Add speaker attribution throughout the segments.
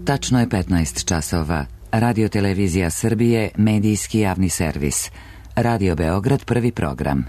Speaker 1: Tačno je 15 časova. Radio Televizija Srbije, medijski javni servis. Radio Beograd, prvi program.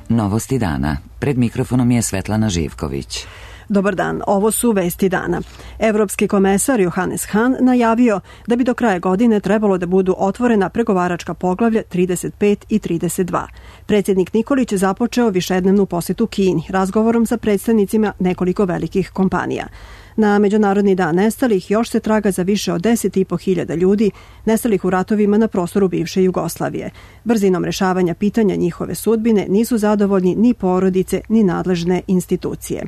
Speaker 1: Novosti dana. Pred mikrofonom je Svetlana Živković.
Speaker 2: Dobar dan, ovo su vesti dana. Evropski komesar Johannes Hahn najavio da bi do kraja godine trebalo da budu otvorena pregovaračka poglavlja 35 i 32. Predsjednik Nikolić je započeo višednevnu posetu Kini razgovorom sa predstavnicima nekoliko velikih kompanija. Na Međunarodni dan nestalih još se traga za više od 10.500 ljudi nestalih u ratovima na prostoru bivše Jugoslavije. Brzinom rešavanja pitanja njihove sudbine nisu zadovoljni ni porodice ni nadležne institucije.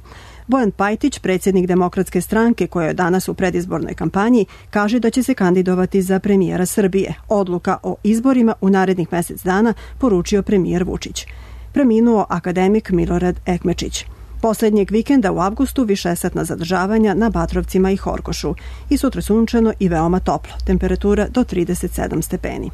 Speaker 2: Bojan Pajtić, predsjednik Demokratske stranke koja je danas u predizbornoj kampanji, kaže da će se kandidovati za premijera Srbije. Odluka o izborima u narednih mjesec dana poručio premijer Vučić. Preminuo akademik Milorad Ekmečić. Posljednjeg vikenda u avgustu višesatna zadržavanja na Batrovcima i Horgošu. I sutra sunčano i veoma toplo. Temperatura do 37 stepeni.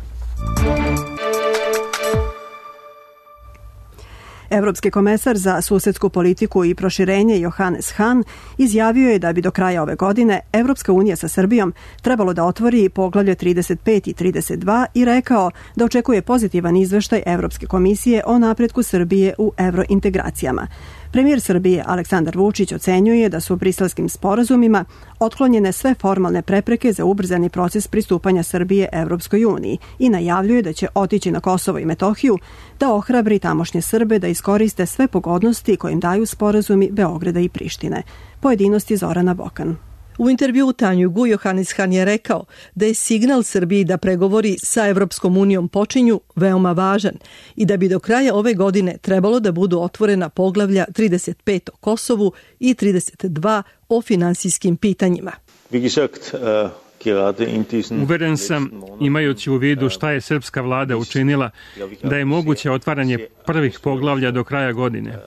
Speaker 2: Evropski komesar za susedsku politiku i proširenje Johannes Hahn izjavio je da bi do kraja ove godine Evropska unija sa Srbijom trebalo da otvori poglavlje 35 i 32 i rekao da očekuje pozitivan izveštaj Evropske komisije o napretku Srbije u evrointegracijama. Premijer Srbije Aleksandar Vučić ocenjuje da su u briselskim sporazumima otklonjene sve formalne prepreke za ubrzani proces pristupanja Srbije Evropskoj uniji i najavljuje da će otići na Kosovo i Metohiju da ohrabri tamošnje Srbe da iskoriste sve pogodnosti koje im daju sporazumi Beograda i Prištine. Pojedinosti Zorana Bokan.
Speaker 3: U intervjuu Tanjugu Johannes Hahn je rekao da je signal Srbiji da pregovori sa Evropskom unijom počinju veoma važan i da bi do kraja ove godine trebalo da budu otvorena poglavlja 35 o Kosovu i 32 o finansijskim pitanjima.
Speaker 4: Uveren sam, imajući u vidu šta je srpska vlada učinila, da je moguće otvaranje prvih poglavlja do kraja godine.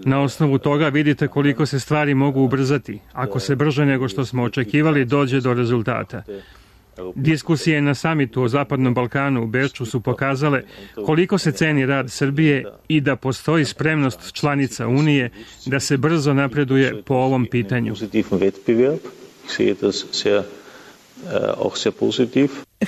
Speaker 4: Na osnovu toga vidite koliko se stvari mogu ubrzati, ako se brže nego što smo očekivali dođe do rezultata. Diskusije na samitu o Zapadnom Balkanu u Beču su pokazale koliko se ceni rad Srbije i da postoji spremnost članica Unije da se brzo napreduje po ovom pitanju.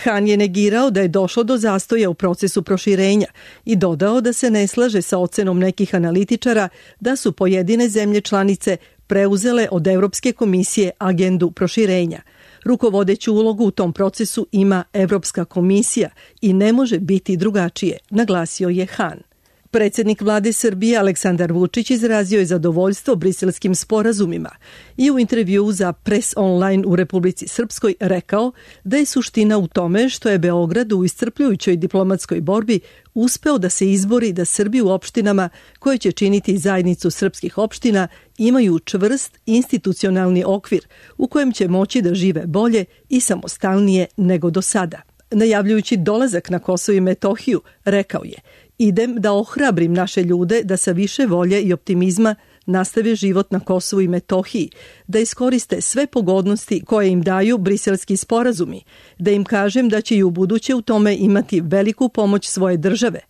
Speaker 3: Hahn je negirao da je došlo do zastoja u procesu proširenja i dodao da se ne slaže sa ocenom nekih analitičara da su pojedine zemlje članice preuzele od Evropske komisije agendu proširenja. Rukovodeću ulogu u tom procesu ima Evropska komisija i ne može biti drugačije, naglasio je Hahn. Predsjednik vlade Srbije Aleksandar Vučić izrazio je zadovoljstvo briselskim sporazumima i u intervjuu za Press Online u Republici Srpskoj rekao da je suština u tome što je Beograd u iscrpljujućoj diplomatskoj borbi uspeo da se izbori da Srbi u opštinama koje će činiti zajednicu srpskih opština imaju čvrst institucionalni okvir u kojem će moći da žive bolje i samostalnije nego do sada. Najavljujući dolazak na Kosovo i Metohiju, rekao je: idem da ohrabrim naše ljude da sa više volje i optimizma nastave život na Kosovu i Metohiji, da iskoriste sve pogodnosti koje im daju briselski sporazumi, da im kažem da će i u buduće u tome imati veliku pomoć svoje države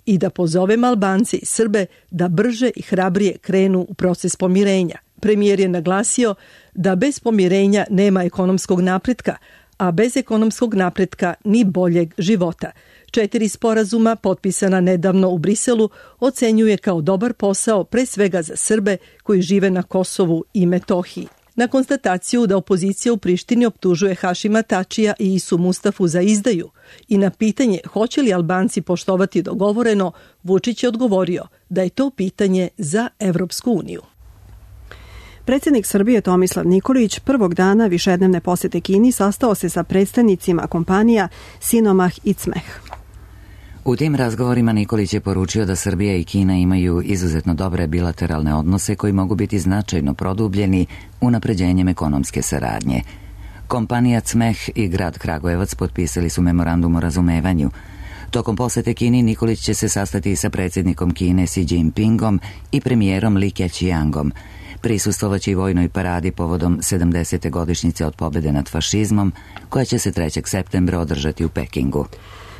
Speaker 3: i da pozovem Albance i Srbe da brže i hrabrije krenu u proces pomirenja. Premijer je naglasio da bez pomirenja nema ekonomskog napretka, a bez ekonomskog napretka ni boljeg života. 4 sporazuma potpisana nedavno u Briselu ocenjuje kao dobar posao pre svega za Srbe koji žive na Kosovu i Metohiji. Na konstataciju da opozicija u Prištini optužuje Hašima Tačija i Isu Mustafu za izdaju i na pitanje hoće li Albanci poštovati dogovoreno, Vučić je odgovorio da je to pitanje za Evropsku uniju.
Speaker 2: Predsjednik Srbije Tomislav Nikolić prvog dana višednevne posete Kini sastao se sa predstavnicima kompanija Sinomah i Cmeh.
Speaker 1: U tim razgovorima Nikolić je poručio da Srbija i Kina imaju izuzetno dobre bilateralne odnose koji mogu biti značajno produbljeni unapređenjem ekonomske saradnje. Kompanija Cmeh i grad Kragujevac potpisali su memorandum o razumevanju. Tokom posete Kini Nikolić će se sastati sa predsjednikom Kine Xi Jinpingom i premijerom Li Keqiangom. Prisustvovaće i vojnoj paradi povodom 70. godišnjice od pobjede nad fašizmom, koja će se 3. septembra održati u Pekingu.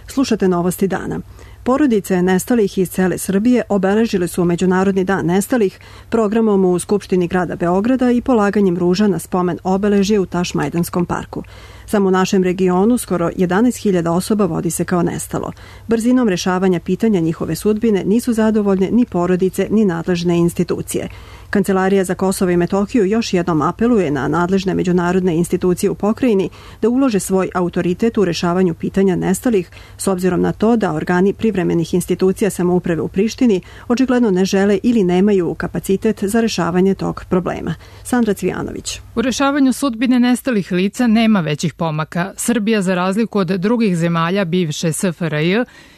Speaker 2: Slušate novosti dana. Porodice nestalih iz cele Srbije obeležile su Međunarodni dan nestalih programom u Skupštini grada Beograda i polaganjem ruža na spomen obeležje u Tašmajdanskom parku. Samo u našem regionu skoro 11.000 osoba vodi se kao nestalo. Brzinom rešavanja pitanja njihove sudbine nisu zadovoljne ni porodice ni nadležne institucije. Kancelarija za Kosovo i Metohiju još jednom apeluje na nadležne međunarodne institucije u pokrajini da ulože svoj autoritet u rešavanju pitanja nestalih, s obzirom na to da organi privremenih institucija samouprave u Prištini očigledno ne žele ili nemaju kapacitet za rešavanje tog problema. Sandra Cvijanović.
Speaker 5: U rešavanju sudbine nestalih lica nema većih pomaka. Srbija, za razliku od drugih zemalja bivše SFRJ,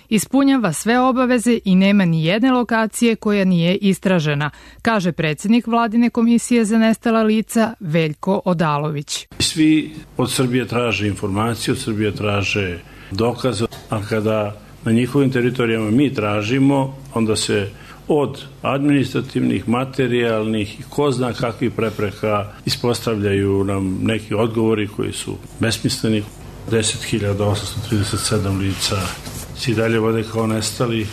Speaker 5: ispunjava sve obaveze i nema ni jedne lokacije koja nije istražena, kaže predsjednik Vladine komisije za nestala lica Veljko Odalović.
Speaker 6: Svi od Srbije traže informacije, od Srbije traže dokaze, a kada na njihovim teritorijama mi tražimo, onda se od administrativnih, materijalnih i ko zna kakvih prepreka ispostavljaju nam neki odgovori koji su besmisleni. 10.837 lica se i dalje vode kao nestali.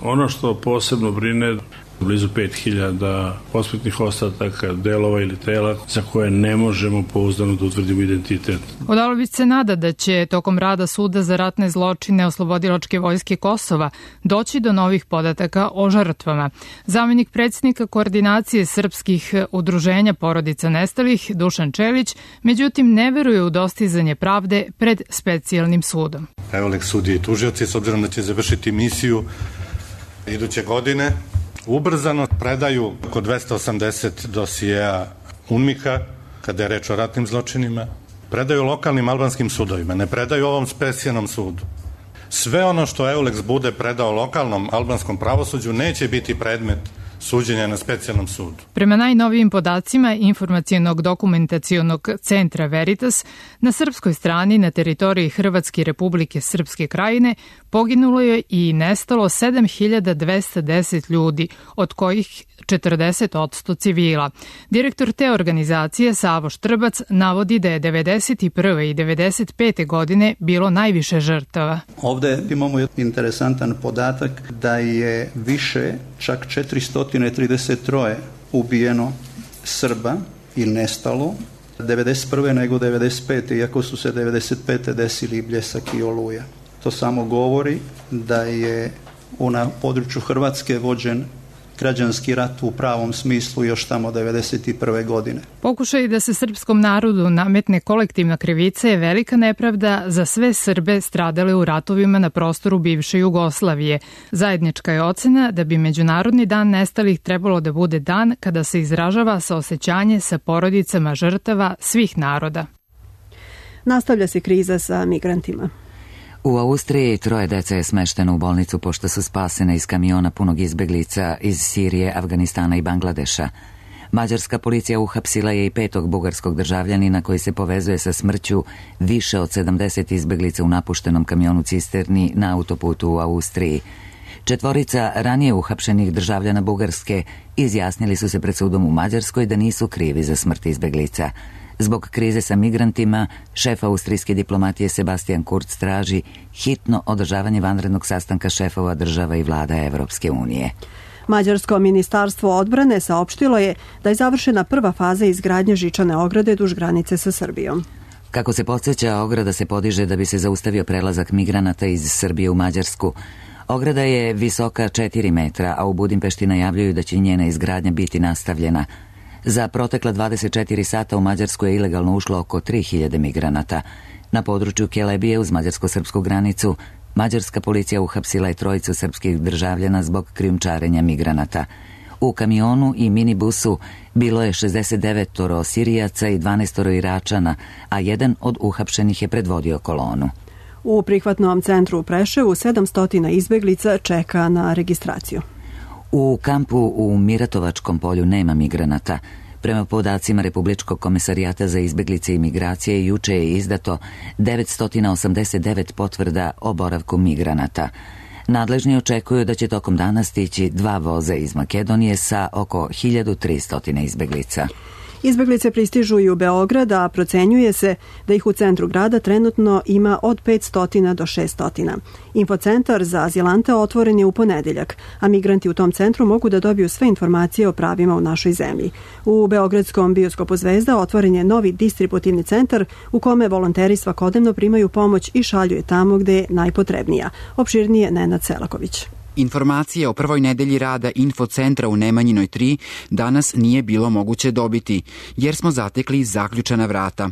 Speaker 6: Ono što posebno brine, blizu 5.000 posmrtnih ostataka, delova ili tela za koje ne možemo pouzdano da utvrdimo identitet.
Speaker 5: Odalović se nada da će tokom rada Suda za ratne zločine Oslobodilačke vojske Kosova doći do novih podataka o žrtvama. Zamenik predsjednika koordinacije srpskih udruženja porodica nestalih, Dušan Čelić, međutim ne veruje u dostizanje pravde pred specijalnim sudom.
Speaker 7: Evo sudije i tužioci, s obzirom da će završiti misiju iduće godine, ubrzano predaju oko 280 dosijeja UNMIK-a, kada je reč o ratnim zločinima, predaju lokalnim albanskim sudovima, ne predaju ovom specijalnom sudu. Sve ono što EULEX bude predao lokalnom albanskom pravosuđu neće biti predmet suđenja na specijalnom sudu.
Speaker 5: Prema najnovijim podacima Informacionog dokumentacionog centra Veritas, na srpskoj strani na teritoriji Hrvatske Republike Srpske Krajine poginulo je i nestalo 7.210 ljudi, od kojih 40% civila. Direktor te organizacije, Savo Štrbac, navodi da je 1991. i 1995. godine bilo najviše žrtava.
Speaker 8: Ovde imamo interesantan podatak da je više, čak 433 ubijeno Srba ili nestalo 1991. nego 1995. iako su se 1995. desili Bljesak i Oluja. To samo govori da je na području Hrvatske vođen građanski rat u pravom smislu još tamo 1991. godine.
Speaker 5: Pokušaj da se srpskom narodu nametne kolektivna krivica je velika nepravda za sve Srbe stradale u ratovima na prostoru bivše Jugoslavije. Zajednička je ocena da bi Međunarodni dan nestalih trebalo da bude dan kada se izražava saosećanje sa porodicama žrtava svih naroda.
Speaker 2: Nastavlja se kriza sa migrantima.
Speaker 1: U Austriji 3 dece je smešteno u bolnicu pošto su spasene iz kamiona punog izbeglica iz Sirije, Afganistana i Bangladeša. Mađarska policija uhapsila je i 5. bugarskog državljanina koji se povezuje sa smrću više od 70 izbeglica u napuštenom kamionu cisterni na autoputu u Austriji. 4 ranije uhapšenih državljana Bugarske izjasnili su se pred sudom u Mađarskoj da nisu krivi za smrt izbeglica. Zbog krize sa migrantima, šef austrijske diplomatije Sebastian Kurz traži hitno održavanje vanrednog sastanka šefova država i vlada Evropske unije.
Speaker 2: Mađarsko ministarstvo odbrane saopštilo je da je završena prva faza izgradnje žičane ograde duž granice sa Srbijom.
Speaker 1: Kako se podsjeća, ograda se podiže da bi se zaustavio prelazak migranata iz Srbije u Mađarsku. Ograda je visoka 4 metra, a u Budimpešti najavljuju da će njena izgradnja biti nastavljena. Za protekla 24 sata u Mađarsku je ilegalno ušlo oko 3000 migranata. Na području Kelebije uz mađarsko-srpsku granicu mađarska policija uhapsila je 3 srpskih državljana zbog krijumčarenja migranata. U kamionu i minibusu bilo je 69 Sirijaca i 12 Iračana, a jedan od uhapšenih je predvodio kolonu.
Speaker 2: U prihvatnom centru u Preševu 700 izbeglica čeka na registraciju.
Speaker 1: U kampu u Miratovačkom polju nema migranata. Prema podacima Republičkog komesarijata za izbeglice i migracije, juče je izdato 989 potvrda o boravku migranata. Nadležni očekuju da će tokom dana stići 2 voza iz Makedonije sa oko 1300 izbeglica.
Speaker 2: Izbeglice pristižu i u Beograd, a procenjuje se da ih u centru grada trenutno ima od 500 do 600. Infocentar za azilante otvoren je u ponedeljak, a migranti u tom centru mogu da dobiju sve informacije o pravima u našoj zemlji. U beogradskom bioskopu Zvezda otvoren je novi distributivni centar u kome volonteri svakodnevno primaju pomoć i šalju je tamo gde je najpotrebnija. Opširnije Nenad Selaković.
Speaker 9: Informacije o prvoj nedelji rada infocentra u Nemanjinoj 3 danas nije bilo moguće dobiti, jer smo zatekli zaključana vrata.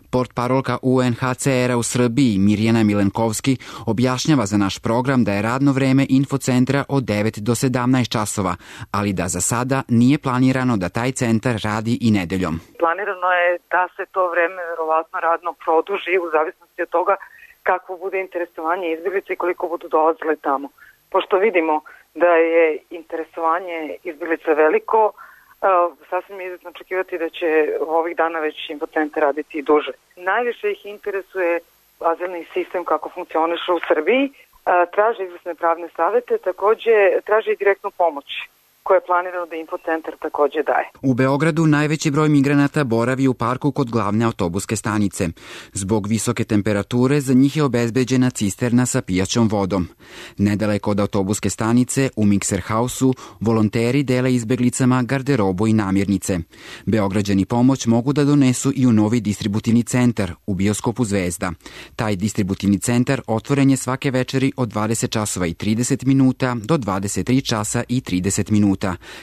Speaker 9: Portparolka UNHCR-a u Srbiji Mirjana Milenkovski objašnjava za naš program da je radno vreme infocentra od 9 do 17 časova, ali da za sada nije planirano da taj centar radi i nedeljom.
Speaker 10: Planirano je da se to vreme verovatno radno produži u zavisnosti od toga kako bude interesovanje izbjeglica i koliko budu dolazile tamo. Pošto vidimo da je interesovanje izbjeglica veliko, sasvim je izvjetno očekivati da će ovih dana već infocentar raditi i duže. Najviše ih interesuje azilni sistem kako funkcioniše u Srbiji, traže izvrsne pravne savete, takođe traže i direktnu pomoć koje je planirano da infocentar takođe daje.
Speaker 9: U Beogradu najveći broj migranata boravi u parku kod glavne autobuske stanice. Zbog visoke temperature za njih je obezbeđena cisterna sa pijaćom vodom. Nedaleko od autobuske stanice, u Mikser Hausu, volonteri dele izbeglicama garderobu i namirnice. Beograđani pomoć mogu da donesu i u novi distributivni centar u bioskopu Zvezda. Taj distributivni centar otvoren je svake večeri od 20 časova i 30 minuta do 23 časa i 30 minuta,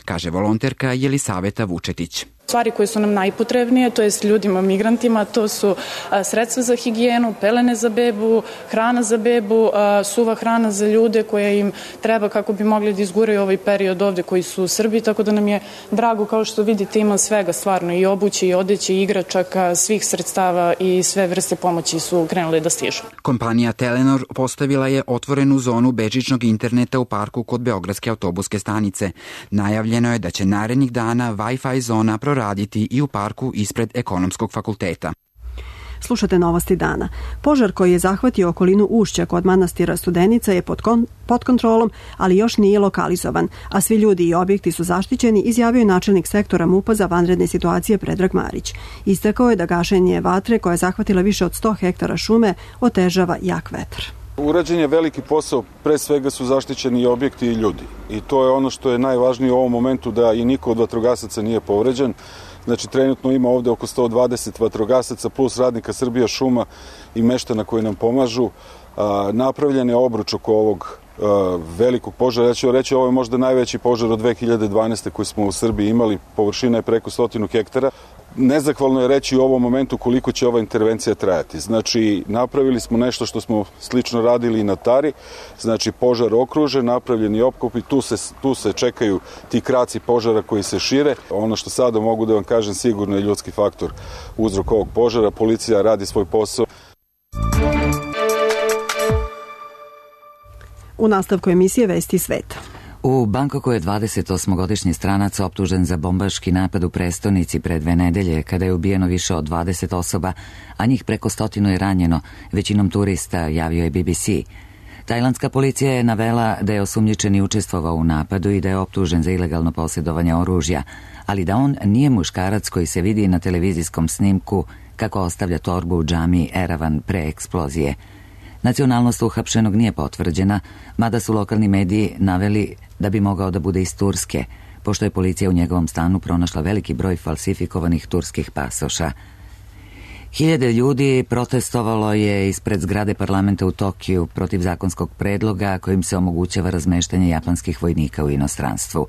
Speaker 9: kaže volonterka Jelisaveta Vučetić.
Speaker 11: Stvari koje su nam najpotrebnije, to je ljudima, migrantima, to su sredstva za higijenu, pelene za bebu, hrana za bebu, suva hrana za ljude koja im treba kako bi mogli da izguraju ovaj period ovde koji su u Srbiji, tako da nam je drago, kao što vidite, ima svega stvarno, i obuće, i odeće, i igračaka, svih sredstava i sve vrste pomoći su krenule da stižu.
Speaker 9: Kompanija Telenor postavila je otvorenu zonu bežičnog interneta u parku kod Beogradske autobuske stanice. Najavljeno je da će narednih dana Wi-Fi zona raditi i u parku ispred Ekonomskog fakulteta.
Speaker 2: Slušate novosti dana. Požar koji je zahvatio okolinu Ušća kod manastira Studenica je pod kontrolom, ali još nije lokalizovan, a svi ljudi i objekti su zaštićeni, izjavio je načelnik sektora MUP-a za vanredne situacije Predrag Marić. Istakao je da gašenje vatre koja je zahvatila više od 100 hektara šume otežava jak vetar.
Speaker 12: Urađen je veliki posao, pre svega su zaštićeni i objekti i ljudi. I to je ono što je najvažnije u ovom momentu, da i niko od vatrogasaca nije povređen. Znači, trenutno ima ovde oko 120 vatrogasaca plus radnika Srbija šuma i meštana koji nam pomažu. Napravljen je obruč oko ovog velikog požara. Ja ću reći, ovo je možda najveći požar od 2012. koji smo u Srbiji imali. Površina je preko 100 hektara. Nezahvalno je reći u ovom momentu koliko će ova intervencija trajati. Znači, napravili smo nešto što smo slično radili i na Tari. Znači, požar okružen, napravljeni opkop i tu se čekaju ti kraci požara koji se šire. Ono što sada mogu da vam kažem, sigurno je ljudski faktor uzrok ovog požara. Policija radi svoj posao.
Speaker 2: U nastavku emisije Vesti sveta.
Speaker 1: U Bangkoku je 28-godišnji stranac optužen za bombaški napad u prestonici pre 2 nedelje, kada je ubijeno više od 20 osoba, a njih preko 100 je ranjeno, većinom turista, javio je BBC. Tajlandska policija je navela da je osumnjičeni učestvovao u napadu i da je optužen za ilegalno posjedovanje oružja, ali da on nije muškarac koji se vidi na televizijskom snimku kako ostavlja torbu u džamiji Eravan pre eksplozije. Nacionalnost uhapšenog nije potvrđena, mada su lokalni mediji naveli da bi mogao da bude iz Turske, pošto je policija u njegovom stanu pronašla veliki broj falsifikovanih turskih pasoša. Hiljade ljudi protestovalo je ispred zgrade parlamenta u Tokiju protiv zakonskog predloga kojim se omogućava razmeštanje japanskih vojnika u inostranstvu.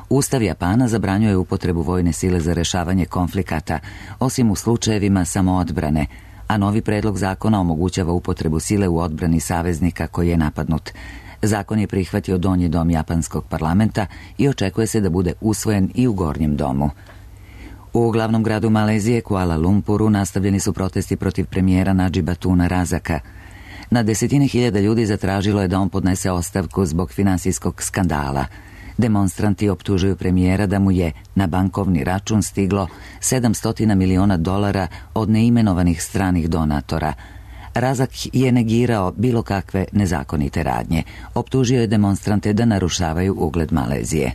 Speaker 1: Ustav Japana zabranjuje upotrebu vojne sile za rešavanje konflikata, osim u slučajevima samoodbrane, a novi predlog zakona omogućava upotrebu sile u odbrani saveznika koji je napadnut. Zakon je prihvatio donji dom japanskog parlamenta i očekuje se da bude usvojen i u gornjem domu. U glavnom gradu Malezije, Kuala Lumpuru, nastavljeni su protesti protiv premijera Nadžiba Tuna Razaka. Na desetine hiljada ljudi zatražilo je da on podnese ostavku zbog finansijskog skandala. Demonstranti optužuju premijera da mu je na bankovni račun stiglo $700 miliona od neimenovanih stranih donatora. Razak je negirao bilo kakve nezakonite radnje. Optužio je demonstrante da narušavaju ugled Malezije.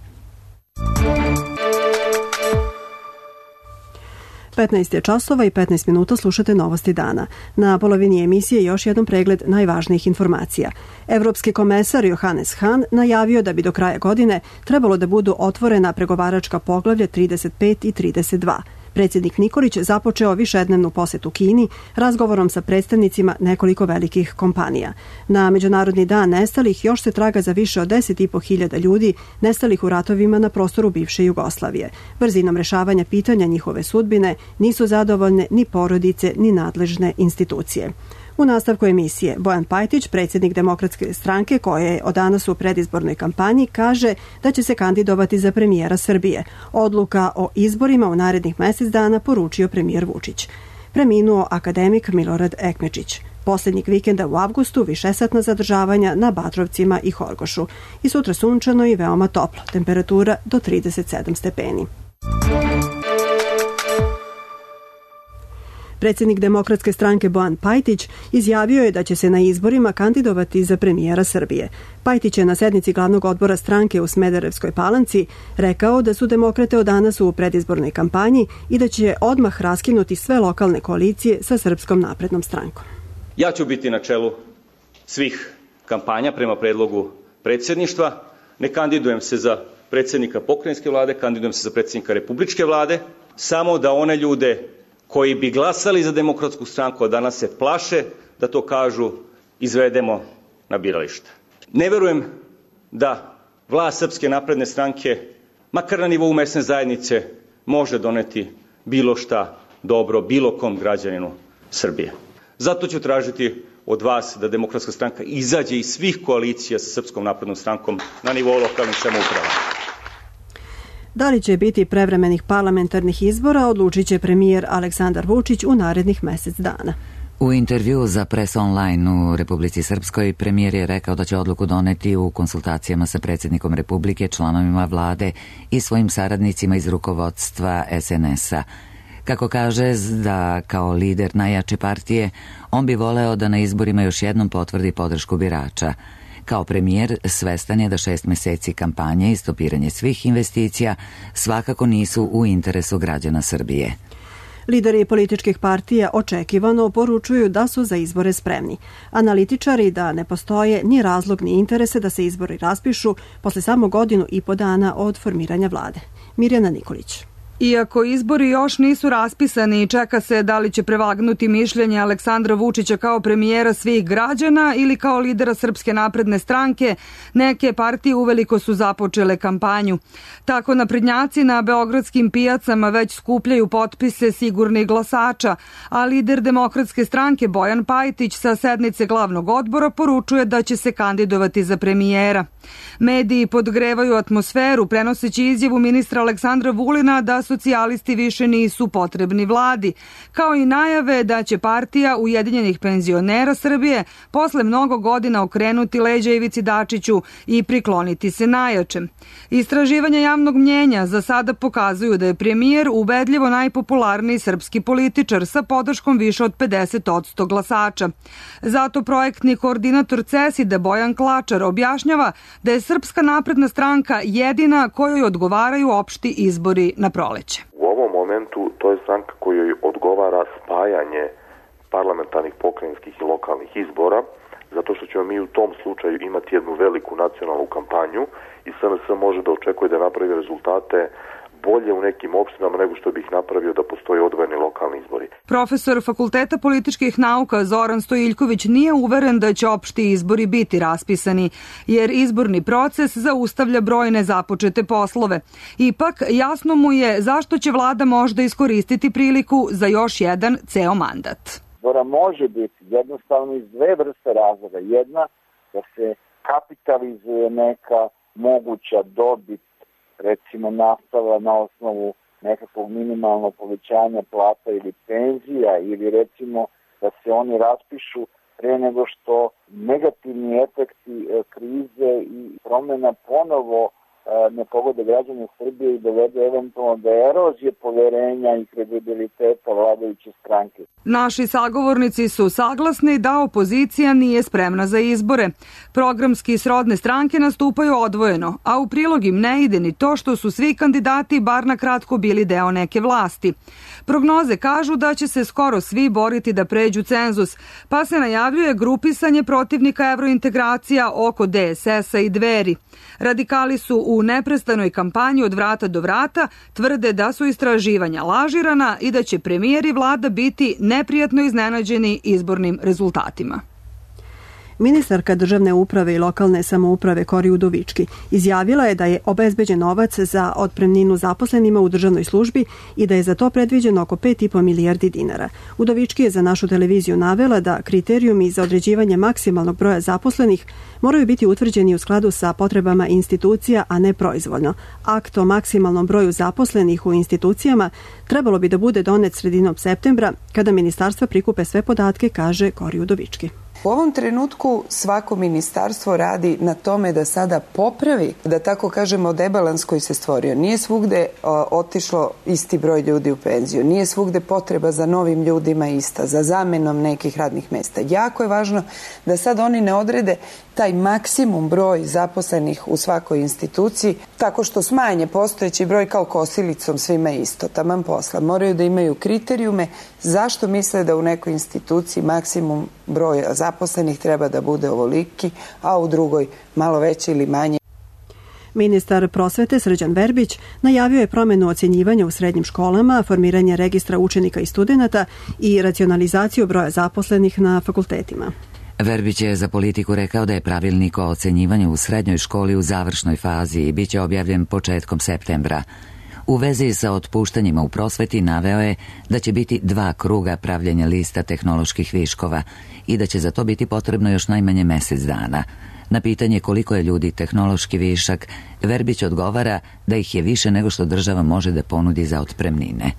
Speaker 2: 15 je časova i 15 minuta, slušate Novosti dana. Na polovini emisije još jedan pregled najvažnijih informacija. Evropski komesar Johannes Hahn najavio da bi do kraja godine trebalo da budu otvorena pregovaračka poglavlja 35 i 32. Predsjednik Nikolić započeo višednevnu posetu Kini razgovorom sa predstavnicima nekoliko velikih kompanija. Na Međunarodni dan nestalih još se traga za više od 10.500 ljudi nestalih u ratovima na prostoru bivše Jugoslavije. Brzinom rešavanja pitanja njihove sudbine nisu zadovoljne ni porodice ni nadležne institucije. U nastavku emisije Bojan Pajtić, predsjednik Demokratske stranke koja je od danas u predizbornoj kampanji, kaže da će se kandidovati za premijera Srbije. Odluka o izborima u narednih mjesec dana poručio premijer Vučić. Preminuo akademik Milorad Ekmečić. Posljednjeg vikenda u avgustu višesatna zadržavanja na Batrovcima i Horgošu. I sutra sunčano i veoma toplo, temperatura do 37 stepeni. Predsjednik Demokratske stranke Bojan Pajtić izjavio je da će se na izborima kandidovati za premijera Srbije. Pajtić je na sednici glavnog odbora stranke u Smederevskoj Palanci rekao da su demokrate od danas u predizbornoj kampanji i da će odmah raskinuti sve lokalne koalicije sa Srpskom naprednom strankom.
Speaker 13: Ja ću biti na čelu svih kampanja prema predlogu predsjedništva. Ne kandidujem se za predsjednika pokrajinske vlade, kandidujem se za predsjednika republičke vlade, samo da one ljude koji bi glasali za Demokratsku stranku, a danas se plaše da to kažu, izvedemo na biralište. Ne verujem da vlast Srpske napredne stranke, makar na nivou mesne zajednice, može doneti bilo šta dobro bilo kom građaninu Srbije. Zato ću tražiti od vas da Demokratska stranka izađe iz svih koalicija sa Srpskom naprednom strankom na nivou lokalnih samouprava.
Speaker 2: Da li će biti prevremenih parlamentarnih izbora, odlučit će premijer Aleksandar Vučić u narednih mjesec dana.
Speaker 1: U intervju za Press Online u Republici Srpskoj premijer je rekao da će odluku doneti u konsultacijama sa predsjednikom Republike, članovima vlade i svojim saradnicima iz rukovodstva SNS-a. Kako kaže da kao lider najjače partije, on bi voleo da na izborima još jednom potvrdi podršku birača. Kao premijer svestan je da 6 mjeseci kampanje i stopiranje svih investicija svakako nisu u interesu građana Srbije.
Speaker 2: Lideri političkih partija očekivano poručuju da su za izbore spremni. Analitičari da ne postoje ni razlog ni interese da se izbori raspišu posle samo 1.5 godina dana od formiranja vlade. Mirjana Nikolić.
Speaker 14: Iako izbori još nisu raspisani i čeka se da li će prevagnuti mišljenje Aleksandra Vučića kao premijera svih građana ili kao lidera Srpske napredne stranke, neke partije uveliko su započele kampanju. Tako naprednjaci na beogradskim pijacama već skupljaju potpise sigurnih glasača, a lider Demokratske stranke Bojan Pajtić sa sednice glavnog odbora poručuje da će se kandidovati za premijera. Mediji podgrevaju atmosferu prenoseći izjavu ministra Aleksandra Vulina da socijalisti više nisu potrebni vladi, kao i najave da će partija Ujedinjenih penzionera Srbije posle mnogo godina okrenuti leđa Ivici Dačiću i prikloniti se najjačem. Istraživanja javnog mnjenja za sada pokazuju da je premijer ubedljivo najpopularniji srpski političar sa podrškom više od 50% glasača. Zato projektni koordinator CESID-a Bojan Klačar objašnjava da je Srpska napredna stranka jedina kojoj odgovaraju opšti izbori na proleće.
Speaker 15: U ovom momentu to je stranka kojoj odgovara spajanje parlamentarnih, pokrajinskih i lokalnih izbora, zato što ćemo mi u tom slučaju imati jednu veliku nacionalnu kampanju i SNS može da očekuje da napravi rezultate bolje u nekim opštinama nego što bih napravio da postoji odvojeni lokalni izbori.
Speaker 14: Profesor Fakulteta političkih nauka Zoran Stojiljković nije uveren da će opšti izbori biti raspisani, jer izborni proces zaustavlja brojne započete poslove. Ipak, jasno mu je zašto će vlada možda iskoristiti priliku za još jedan ceo mandat.
Speaker 16: Izbora može biti jednostavno iz dve vrste razloga. Jedna, da se kapitalizuje neka moguća dobit, recimo nastala na osnovu nekakvog minimalnog povećanja plata ili penzija, ili recimo da se oni raspišu pre nego što negativni efekti krize i promjena ponovo ne pogode građane Srbije i dovede eventualno do erozije poverenja i kredibiliteta vladajuće stranke.
Speaker 14: Naši sagovornici su saglasni da opozicija nije spremna za izbore. Programski srodne stranke nastupaju odvojeno, a u prilog im ne ide ni to što su svi kandidati bar na kratko bili deo neke vlasti. Prognoze kažu da će se skoro svi boriti da pređu cenzus, pa se najavljuje grupisanje protivnika evrointegracija oko DSS-a i Dveri. Radikali su u neprestanoj kampanji od vrata do vrata, tvrde da su istraživanja lažirana i da će premijer i vlada biti neprijatno iznenađeni izbornim rezultatima.
Speaker 2: Ministarka državne uprave i lokalne samouprave Kori Udovički izjavila je da je obezbeđen novac za otpremninu zaposlenima u državnoj službi i da je za to predviđeno oko 5,5 milijardi dinara. Udovički je za našu televiziju navela da kriterijumi za određivanje maksimalnog broja zaposlenih moraju biti utvrđeni u skladu sa potrebama institucija, a ne proizvoljno. Akt o maksimalnom broju zaposlenih u institucijama trebalo bi da bude donet sredinom septembra, kada ministarstva prikupe sve podatke, kaže Kori Udovički.
Speaker 17: U ovom trenutku svako ministarstvo radi na tome da sada popravi, da tako kažemo, debalans koji se stvorio. Nije svugde otišlo isti broj ljudi u penziju, nije svugde potreba za novim ljudima ista, za zamenom nekih radnih mesta. Jako je važno da sad oni ne odrede taj maksimum broj zaposlenih u svakoj instituciji tako što smanje postojeći broj kao kosilicom svima isto, taman posla. Moraju da imaju kriterijume zašto misle da u nekoj instituciji maksimum broja zaposlenih treba da bude ovoliki, a u drugoj malo veće ili manje.
Speaker 2: Ministar prosvete Srđan Verbić najavio je promenu ocjenjivanja u srednjim školama, formiranje registra učenika i studenata i racionalizaciju broja zaposlenih na fakultetima.
Speaker 1: Verbić je za Politiku rekao da je pravilnik o ocenjivanju u srednjoj školi u završnoj fazi i bit će objavljen početkom septembra. U vezi sa otpuštanjima u prosveti naveo je da će biti 2 kruga pravljenja lista tehnoloških viškova i da će za to biti potrebno još najmanje mjesec dana. Na pitanje koliko je ljudi tehnološki višak, Verbić odgovara da ih je više nego što država može da ponudi za otpremnine.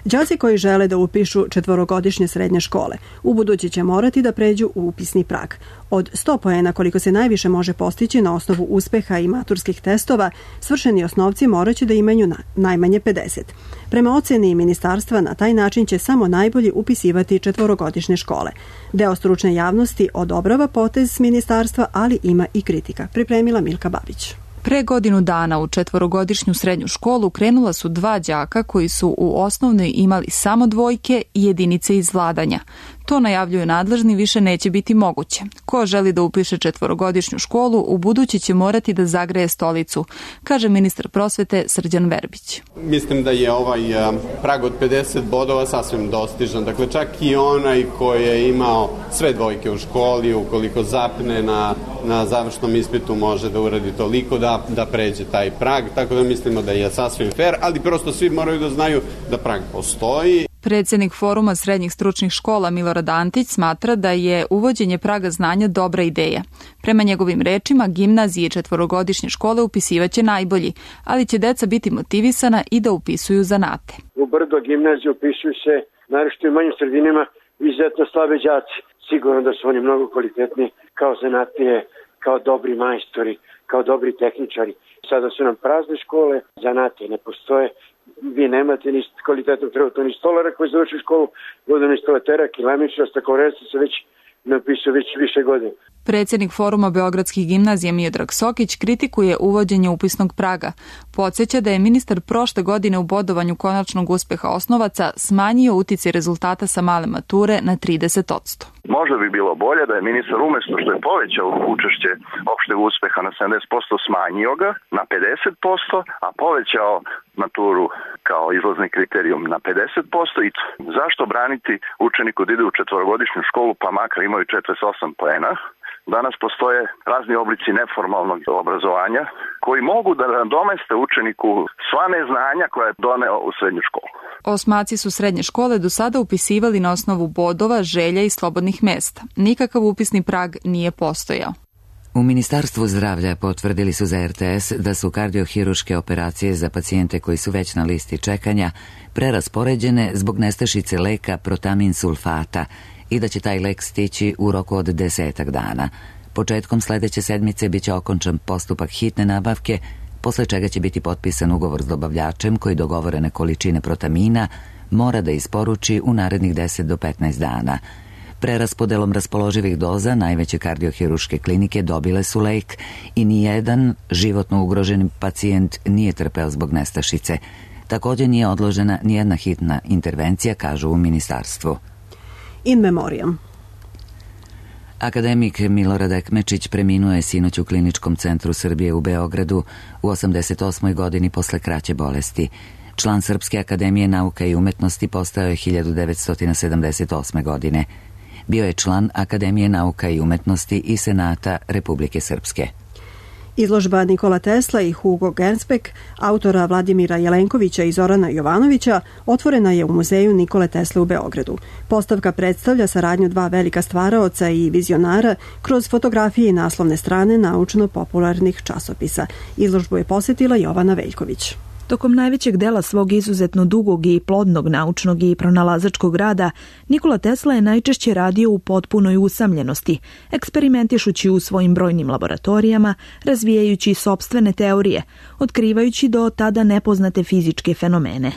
Speaker 2: Đaci koji žele da upišu 4-godišnje srednje škole ubuduće će morati da pređu u upisni prag. Od 100 poena koliko se najviše može postići na osnovu uspeha i maturskih testova, svršeni osnovci moraće da imaju najmanje 50. Prema oceni ministarstva, na taj način će samo najbolji upisivati 4-godišnje škole. Deo stručne javnosti odobrava potez ministarstva, ali ima i kritika. Pripremila Milka Babić.
Speaker 18: Pre godinu dana u 4-godišnju srednju školu krenula su 2 đaka koji su u osnovnoj imali samo 2 i jedinice iz vladanja. To najavljuju nadležni više neće biti moguće. Ko želi da upiše 4-godišnju školu, u budući će morati da zagreje stolicu, kaže ministar prosvete Srđan Verbić.
Speaker 19: Mislim da je ovaj prag od 50 bodova sasvim dostižan. Dakle, čak i onaj koji je imao sve 2 u školi, ukoliko zapne na završnom ispitu, može da uradi toliko da pređe taj prag. Tako da mislimo da je sasvim fair, ali prosto svi moraju da znaju da prag postoji.
Speaker 18: Predsjednik Foruma srednjih stručnih škola Milorad Antić smatra da je uvođenje praga znanja dobra ideja. Prema njegovim rečima, gimnazije 4-godišnje škole upisivaće najbolji, ali će deca biti motivisana i da upisuju zanate.
Speaker 20: U Brdo gimnaziju upisuju se, naročito u manjim sredinama, izuzetno slabe đaci. Sigurno da su oni mnogo kvalitetni kao zanatlije, kao dobri majstori, kao dobri tehničari. Sada su nam prazne škole, zanate ne postoje. Vi nemate ni kvalitetnog trenutno ni stolara koji završi školu, vodoinstalatera, kilamičara, stakloreza se već ne upisuje već više godina.
Speaker 18: Predsjednik Foruma beogradskih gimnazija Miodrag Sokić kritikuje uvođenje upisnog praga. Podsjeća da je ministar prošle godine u bodovanju konačnog uspeha osnovaca smanjio uticaj rezultata sa male mature na 30%.
Speaker 21: Možda bi bilo bolje da je ministar umjesto što je povećao učešće opšteg uspeha na 70%, smanjio ga na 50%, a povećao maturu kao izlazni kriterijum na 50%. I zašto braniti učeniku da ide u 4-godišnju školu pa makar imaju 48 poena? Danas postoje razni oblici neformalnog obrazovanja koji mogu da nadomeste učeniku sva neznanja koja je doneo u srednju školu.
Speaker 18: Osmaci su srednje škole do sada upisivali na osnovu bodova, želja i slobodnih mesta. Nikakav upisni prag nije postojao.
Speaker 1: U Ministarstvu zdravlja potvrdili su za RTS da su kardiohiruške operacije za pacijente koji su već na listi čekanja preraspoređene zbog nestašice leka protamin sulfata i da će taj lek stići u roku od 10 dana. Početkom sledeće sedmice biće okončan postupak hitne nabavke, posle čega će biti potpisan ugovor s dobavljačem koji dogovorene količine protamina mora da isporuči u narednih 10 do 15 dana. Preraspodelom raspoloživih doza najveće kardiohiruške klinike dobile su lek i nijedan životno ugroženi pacijent nije trpeo zbog nestašice. Također nije odložena nijedna hitna intervencija, kažu u ministarstvu.
Speaker 2: In memoriam.
Speaker 1: Akademik Milorad Ekmečić preminuo je sinoć u Kliničkom centru Srbije u Beogradu u 88. godini posle kraće bolesti. Član Srpske akademije nauka i umetnosti postao je 1978. godine. Bio je član Akademije nauka i umetnosti i Senata Republike Srpske.
Speaker 2: Izložba Nikola Tesla i Hugo Gernsback, autora Vladimira Jelenkovića i Zorana Jovanovića, otvorena je u muzeju Nikole Tesle u Beogradu. Postavka predstavlja saradnju dva velika stvaraoca i vizionara kroz fotografije i naslovne strane naučno-popularnih časopisa. Izložbu je posjetila Jovana Veljković.
Speaker 4: Tokom najvećeg dela svog izuzetno dugog i plodnog naučnog i pronalazačkog rada, Nikola Tesla je najčešće radio u potpunoj usamljenosti, eksperimentišući u svojim brojnim laboratorijama, razvijajući sopstvene teorije, otkrivajući do tada nepoznate fizičke fenomene.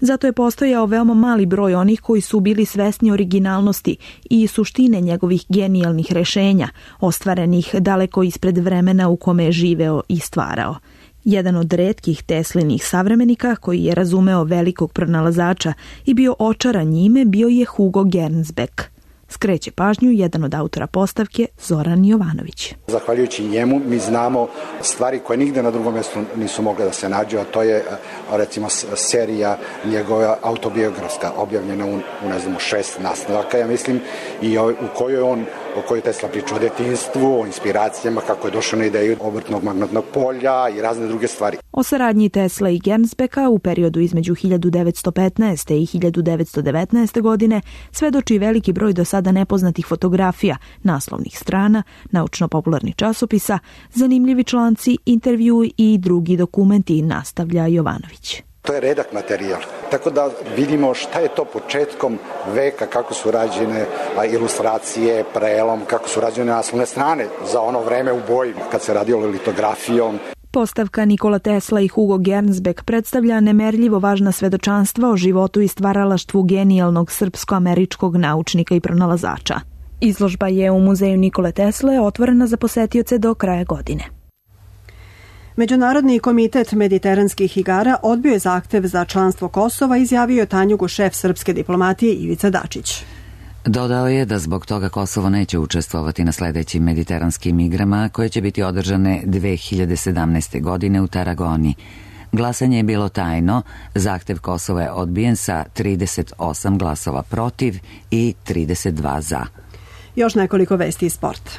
Speaker 4: Zato je postojao veoma mali broj onih koji su bili svesni originalnosti i suštine njegovih genijalnih rešenja, ostvarenih daleko ispred vremena u kome je živeo i stvarao. Jedan od retkih Teslinih savremenika koji je razumeo velikog pronalazača i bio očaran njime bio je Hugo Gernsback. Skreće pažnju jedan od autora postavke, Zoran Jovanović.
Speaker 22: Zahvaljujući njemu mi znamo stvari koje nigde na drugom mjestu nisu mogle da se nađu, a to je recimo serija njegova autobiografska objavljena u 6 nastavaka, ja mislim, i u kojoj o kojoj Tesla priča o detinjstvu, o inspiracijama, kako je došao na ideju obrtnog magnetnog polja i razne druge stvari.
Speaker 4: O saradnji Tesla i Gernsbacka u periodu između 1915. i 1919. godine svedoči veliki broj do sada nepoznatih fotografija, naslovnih strana, naučno-popularnih časopisa, zanimljivi članci, intervju i drugi dokumenti, nastavlja Jovanović.
Speaker 22: To je redak materijal, tako da vidimo šta je to početkom veka, kako su rađene ilustracije, prelom, kako su rađene naslovne strane za ono vreme u boji kad se radilo litografijom.
Speaker 4: Postavka Nikola Tesla i Hugo Gernsback predstavlja nemerljivo važna svedočanstva o životu i stvaralaštvu genijalnog srpsko-američkog naučnika i pronalazača. Izložba je u muzeju Nikole Tesle otvorena za posetioce do kraja godine.
Speaker 2: Međunarodni komitet mediteranskih igara odbio je zahtev za članstvo Kosova, izjavio je Tanjugu šef srpske diplomatije Ivica Dačić.
Speaker 1: Dodao je da zbog toga Kosovo neće učestvovati na sledećim mediteranskim igrama koje će biti održane 2017. godine u Taragoni. Glasanje je bilo tajno, zahtev Kosova je odbijen sa 38 glasova protiv i 32 za.
Speaker 2: Još nekoliko vesti iz sporta.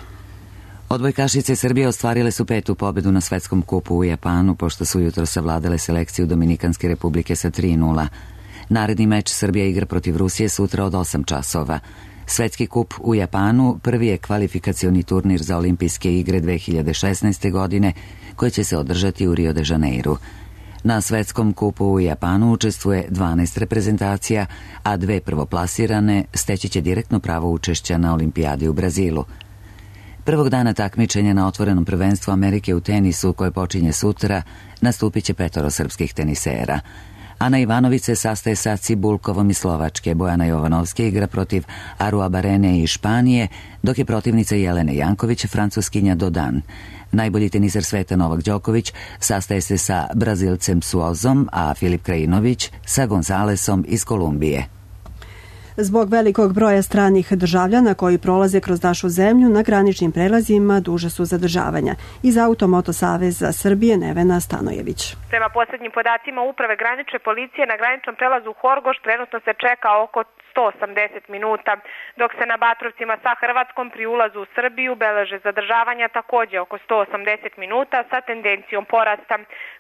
Speaker 1: Odbojkašice Srbije ostvarile su 5. pobedu na svetskom kupu u Japanu, pošto su jutro savladale selekciju Dominikanske republike sa 3:0. Naredni meč Srbija igra protiv Rusije sutra od 8 časova. Svetski kup u Japanu prvi je kvalifikacioni turnir za olimpijske igre 2016. godine, koji će se održati u Rio de Janeiru. Na svetskom kupu u Japanu učestvuje 12 reprezentacija, a 2 prvoplasirane steći će direktno pravo učešća na olimpijadi u Brazilu. Prvog dana takmičenja na otvorenom prvenstvu Amerike u tenisu, koje počinje sutra, nastupit će 5 srpskih tenisera. Ana Ivanović se sastaje sa Cibulkovom iz Slovačke, Bojana Jovanovska igra protiv Arua Barene iz Španije, dok je protivnica Jelene Janković Francuskinja Dodan. Najbolji teniser sveta Novak Đoković sastaje se sa Brazilcem Suozom, a Filip Krajinović sa Gonzalesom iz Kolumbije.
Speaker 2: Zbog velikog broja stranih državljana koji prolaze kroz našu zemlju, na graničnim prelazima duže su zadržavanja. Iz Automoto Saveza Srbije Nevena Stanojević.
Speaker 23: Prema posljednjim podacima Uprave granične policije na graničnom prelazu Horgoš trenutno se čeka oko 180 minuta, dok se na Batrovcima sa Hrvatskom pri ulazu u Srbiju beleže zadržavanja također oko 180 minuta sa tendencijom porasta.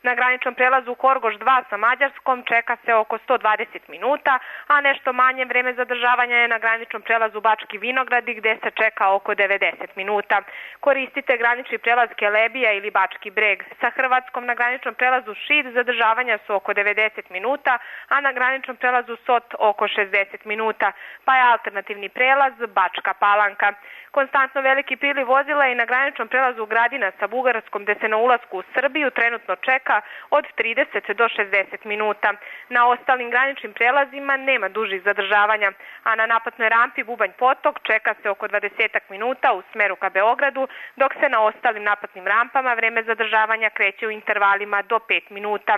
Speaker 23: Na graničnom prelazu Horgoš 2 sa Mađarskom čeka se oko 120 minuta, a nešto manje vreme zadržavanja je na graničnom prelazu Bački Vinogradi gde se čeka oko 90 minuta. Koristite granični prelaz Kelebija ili Bački Breg. Sa Hrvatskom na graničnom prelazu Šid zadržavanja su oko 90 minuta, a na graničnom prelazu Sot oko 60 minuta, pa je alternativni prelaz Bačka Palanka. Konstantno veliki priliv vozila i na graničnom prelazu Gradina sa Bugarskom gde se na ulasku u Srbiju trenutno čeka od 30 do 60 minuta. Na ostalim graničnim prelazima nema dužih zadržavanja, a na naplatnoj rampi Bubanj Potok čeka se oko 20 minuta u smeru ka Beogradu, dok se na ostalim naplatnim rampama vreme zadržavanja kreće u intervalima do 5 minuta.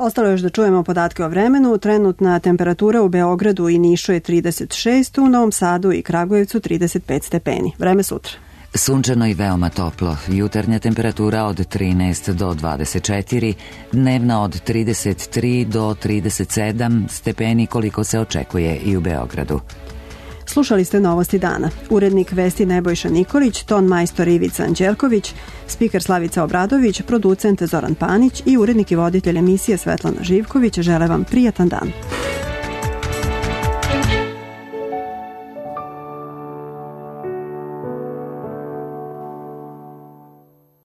Speaker 2: Ostalo još da čujemo podatke o vremenu. Trenutna temperatura u Beogradu i Nišu je 36, u Novom Sadu i Kragujevcu 35 stepeni. Vreme sutra.
Speaker 1: Sunčano i veoma toplo. Jutarnja temperatura od 13 do 24, dnevna od 33 do 37 stepeni koliko se očekuje i u Beogradu.
Speaker 2: Slušali ste Novosti dana. Urednik vesti Nebojša Nikolić, ton majstor Ivica Anđelković, spiker Slavica Obradović, producent Zoran Panić i urednik i voditelj emisije Svetlana Živković žele vam prijatan dan.